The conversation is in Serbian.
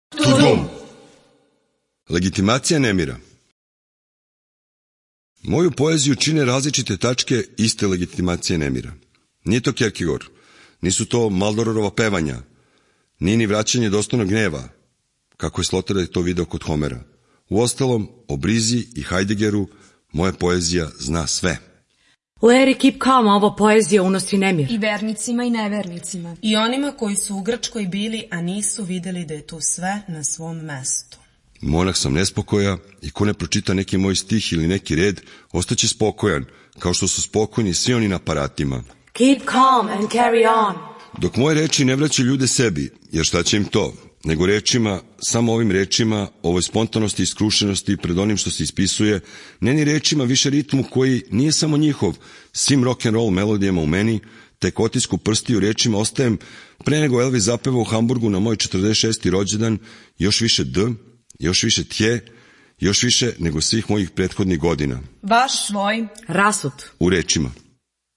Tudum. Legitimacija nemira. Moju poeziju čine različite tačke iste legitimacije nemira. Nije to Kierkegaard, nisu to Maldororova pevanja, nije ni vraćanje dostojnog gneva, kako je Sloterdijk to video kod Homera. Uostalom, o Brizi i Heideggeru moja poezija zna sve. U eri Keep Calm ova poezija unosi nemir. I vernicima i nevernicima. I onima koji su u Grčkoj bili, a nisu videli da je tu sve na svom mestu. Monah sam nespokoja i ko ne pročita neki moj stih ili neki red, ostaće spokojan, kao što su spokojni svi oni na aparatima. Keep calm and carry on. Dok moje reči ne vraćaju ljude sebi, jer šta će im to, nego rečima, samo ovim rečima, ovoj spontanosti i skrušenosti pred onim što se ispisuje, ne ni rečima, više ritmu koji nije samo njihov, svim rock'n'roll melodijama u meni, tek otisku prstiju rečima ostajem pre nego Elvis zapeva u Hamburgu na moj 46. rođendan, još više D, još više tje, još više nego svih mojih prethodnih godina. Vaš svoj rasut u rečima.